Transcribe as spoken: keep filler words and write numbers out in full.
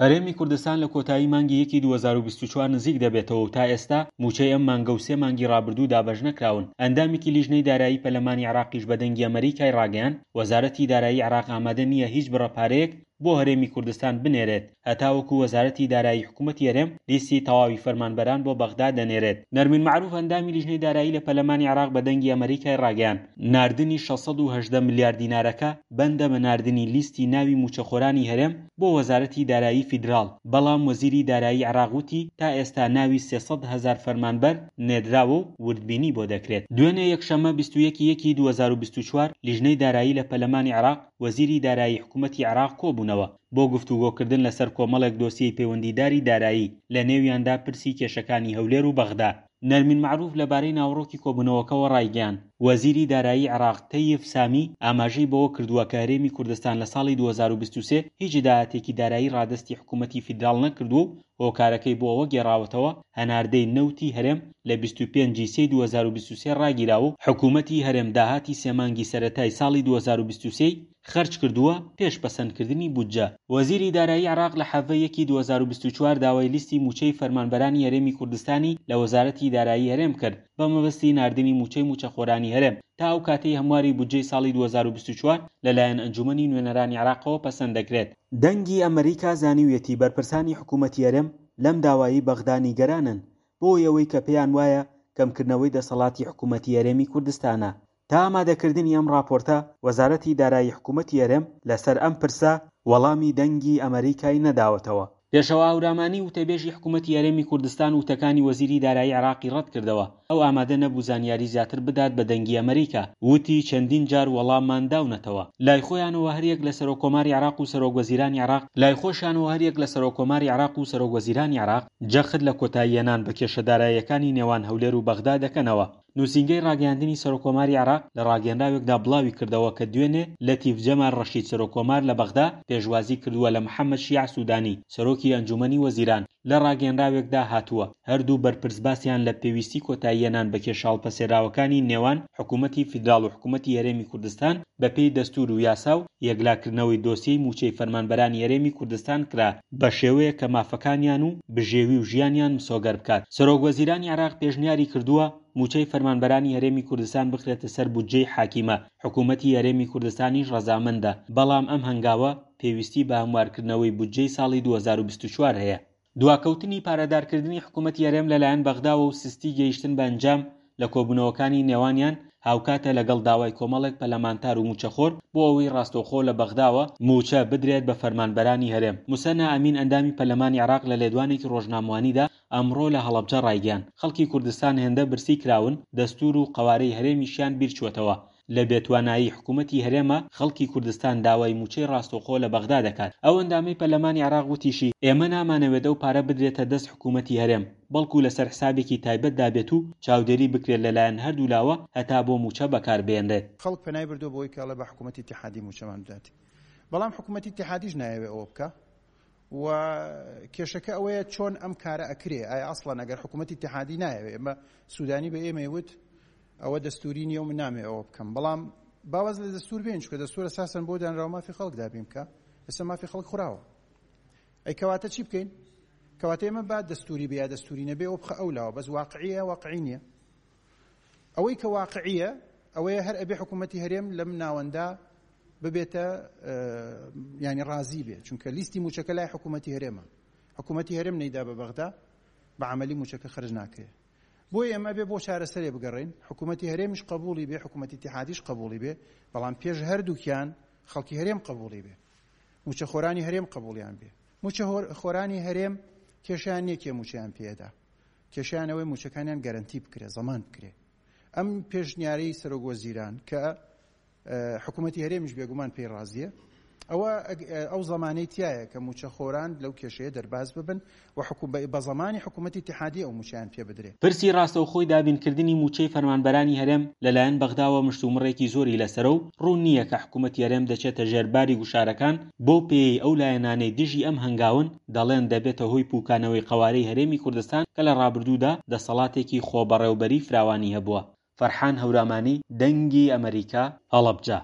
هەرێمی کوردستان لە کۆتایی مانگی یەکی دوو هەزار و بیست و چوار نزیک دەبێتەوە و تا ئێستا مووچەی ئەم مانگە و سێ مانگی ڕابردوو دابەش نەکراون. ئەندامێکی لیژنەی دارایی پەرلەمانی عێراقیش بە دەنگی ئەمەریکای ڕاگەیاند، وەزارەتی دارایی عێراق ئامادە نییە هیچ بڕە پارەیەک بۆ هەرێمی کوردستان بنێرێت هەتاوەکو وەزارەتی دارایی حکومەتی هەرێم لیستی تەواوی فەرمانبەران بۆ بەغدا دەنێرێت. نەرمین مەعروف ئەندامی لیژنەی دارایی لە پەرلەمانی عێراق بە دەنگی ئەمەریکای ڕاگەیاند، ناردنی شەش سەد و هەژدە ملیار دینارەکە بەندە بە ناردنی لیستی ناوی مووچەخۆرانی هەرێم بۆ وەزارەتی دارایی فیدراڵ، بەڵام وەزیری دارایی عێراق وتی تا ئێستا ناوی سێ سەد هەزار فەرمانبەر نێردراوە و وردبینی بۆ دەکرێت. دوێنێ یەکشەممە بیست و یەک ی یەکی دوو هەزار و بیست و چوار لیژنەی دارایی لە پەرلەمانی عێراق وەزیری دارایی حکومەتی عێراق کۆبوونەوە بۆ گفتوگۆکردن لەسەر کۆمەڵێک دۆسیەی پەیوەندیداری دارایی، لەنێویاندا پرسی کێشەکانی هەولێر و بەغدا. نەرمین مەعروف لەبارەی ناوەڕۆکی کۆبوونەوەکەوە ڕایگەیاند، وەزیری دارایی عێراق تەیف سامی ئاماژەی بەوە کردووە کە هەرێمی کوردستان لە ساڵی دوو هەزار و بیست و سێ هیچ داهاتێکی دارایی ڕادەستی حکوومەتی فیدراڵ نەکردووە و هۆکارەکەی بۆ ئەوە گێڕاوەتەوە هەناردەی نەوتی هەرێم لە بیست و پێنج ی سێی دوو هەزار و بیست و سێ ڕاگیراوە و حکوومەتی هەرێم داهاتی سێ مانگی سەرەتای ساڵی دوو هەزار و بیست و سێ ی خەرج کردووە پێش پەسەندکردنی بودجە. وەزیری دارایی عێراق لە حەڤە یەکی دوو هەزار و بیست و چوار داوای لیستی مووچەی فەرمانبەرانی هەرێمی کوردستانی لە وەزارەتی دارایی هەرێم کرد بە مەبەستی ناردنی مووچەی مووچەخۆرانی هەرێم تا ئەو کاتەی هەمواری بودجەی ساڵی دوو هەزار و بیست و چوار لەلایەن ئەنجومەنی نوێنەرانی عێراقەوە پەسەند دەکرێت. دەنگی ئەمەریکا زانیویەتی بەرپرسانی حکومەتی هەرێم لەم داوایەی بەغدا نیگەرانن بەهۆی ئەوەی کە پێیان وایە کەمکردنەوەی دەسەڵاتی حکومەتی هەرێمی کوردستانە. تا ئامادەکردنی ئەم ڕاپۆرتە، وەزارەتی دارایی حکومەتی هەرێم لەسەر ئەم پرسە وەڵامی دەنگی ئەمەریکای نەداوەتەوە. پێشەوا هەورامانی وتەبێژی حکومەتی هەرێمی کوردستان وتەکانی وەزیری دارایی عێراقی ڕەتکردەوە، ئەو ئامادە نەبوو زانیاری زیاتر بدات بە دەنگی ئەمەریکا، وتی چەندین جار وەڵاممان داونەتەوە. لای خۆیانەوە هەریەک لە سەرۆک کۆماری عێراق و سەرۆک وەزیرانی عێراق لای خۆشیانەوە هەریەک لە سەرۆک کۆماری عێراق و سەرۆک وەزیرانی عێراق جەخت لە کۆتاییهێنان بە کێشە داراییەکانی نێوان هەولێر و بەغدا دەکەنەوە. نووسینگەی ڕاگەیاندنی سەرۆککۆماری عێراق لە ڕاگەیەنراوێکدا بڵاویکردەوە کە دوێنێ لەتیف جەمال ڕەشید سەرۆککۆمار لە بەغدا پێشوازی کردووە لە محەمەد شیاع سودانی سەرۆکی ئەنجومەنی وەزیران. لە ڕاگەیەنراوێکدا هاتووە، هەردوو بەرپرس باسیان لە پێویستی کۆتاییهێنان بە کێشە هەڵپەسێراوەکانی نێوان حکومەتی فیدراڵ و حکومەتی هەرێمی کوردستان بەپێی دەستوور و یاسا و یەکلاکردنەوەی دۆسیەی مووچەی فەرمانبەرانی هەرێمی کوردستان کرا بەشێوەیەک کە مافەکانیان و بژێوی و ژیانیان مسۆگەر بکات. سەرۆکوەزیرانی عێراق پێشنیاری کردووە، مووچەی فەرمانبەرانی هەرێمی کوردستان بخرێتە سەر بودجەی حاکیمە، حکوومەتی هەرێمی کوردستانیش ڕەزامەندە، بەڵام ئەم هەنگاوە پێویستی بە هەموارکردنەوەی بودجەی ساڵی دوو هەزار و بیست و چوار هەیە. دواکەوتنی پارەدارکردنی حکوومەتی هەرێم لەلایەن بەغداوە و سستی گەیشتن بە ئەنجام لە کۆبوونەوەکانی نێوانیان هاوکاتە لەگەڵ داوای کۆمەڵێک پەلەمانتار و مووچەخۆر بۆ ئەوەی ڕاستەوخۆ لە بەغداوە مووچە بدرێت بە فەرمانبەرانی هەرێم. موسەنا ئەمین ئەندامی پەرلەمانی عێراق لە لێدوانێکی ڕۆژنامەوانیدا ئەمڕۆ لە هەڵەبجە ڕایگەیاند، خەڵکی کوردستان هێندە برسی کراون دەستوور و قەوارەی هەرێمیشیان بیرچووەتەوە، لە بێتوانایی حکومەتی هەرێمە خەڵکی کوردستان داوای مووچەی ڕاستەوخۆ لە بەغدا دەکات. ئەو ئەندامەی پەرلەمانی عێراق وتیشی، ئێمە نامانەوێت ئەو پارە بدرێتە دەست حکومەتی هەرێم، بەڵکو لەسەر حسابێکی تایبەتدا بێت و چاودێری بکرێت لەلایەن هەردوولاوە هەتا بۆ مووچە بەکاربهێنرێت. خەڵک پەنای بردووە بەوەی کە ئەڵێ با حکومەتی ئیتیحادی مووچەمان بدات، بەڵام حکومەتی ئیتیحادیش نایەوێ ئەوە بکا و کێشەکە ئەوەیە چۆن ئەم کارە ئەکرێ. ئایا ئەسڵەن ئەگەر حکومەتی ئیتیحادی نایەوێ، ئێمە سودانی بە ئێمەی وت ئەوە دەستوری نییە و من نامەوێ ئەوە بکەم، بەڵام با واز لە دەستور بێن، چونکە دەستور ئەساسەن بۆ دانراوە مافی خەڵک دابین بکە، ئێستا مافی خەڵک خوراوە. ئەی کەواتە چی بکەین؟ کەواتە ئێمە با دەستوری بێ یا دەستوری نەبێ ئەوە بخە ئەو لاوە، بەس واقعیە واقعی نییە. ئەوەی کە واقعیە ئەوەیە هەر ئەبێ حکوومەتی هەرێم لەم ناوەندا ببێتە ینی ڕازی بێ، چونکە لیستی موچەکە لای حکوومەتی هەرێمە، حکوومەتی هەرێم نەیدا بە بەغدا بە عملی موچەکە خرج ناکرێ. بۆیە ئێمە بێ بۆ چارەسەرێ بگەڕین، حکوومەتی هەرێمیش قبولی بێ، حکوومەتی ئیتیحادیش قبولی بێ، بەڵام پێش هەردووکیان خەڵکی هەرێم قبولی بێ، موچەخۆرانی هەرێم قبولیان بێ. موچەخۆرانی هەرێم کێشیان نییە کێ موچەیان پێدا، کێشیان ئەوەی موچەکانیان گەرەنتی بکرێ، زەمان بکرێ. ئەم پێشنیارەی سەرۆک وەزیران کە حکوومەتی هەرێمیش بێگومان پێی ڕازیە، ئەوە ئەو زەمانەی تایە کە موچەخۆران لەو کێشەیە دەرباز ببن و بە زەمانی حکوومەتی ئیتیحادی ئەو موچەیان پێ بدرێ. پرسی ڕاستەوخۆی دابینکردنی موچەی فەرمانبەرانی هەرێم لەلایەن بەغداوە مشتومڕێکی زۆری لەسەرە و ڕوون نییە کە حکوومەتی هەرێم دەچێتە ژێر باری گوشارەکان، بەو پێیەی ئەو لایەنانەی دژی ئەم هەنگاون دەڵێن دەبێتە هۆی پوکانەوەی قەوارەی هەرێمی کوردستان کە لە ڕابردوودا دەسەڵاتێکی خۆبەڕێوبەری فراوانی هەبووە. فەرحان هەورامانی، دەنگی ئەمەریکا، هەڵەبجە.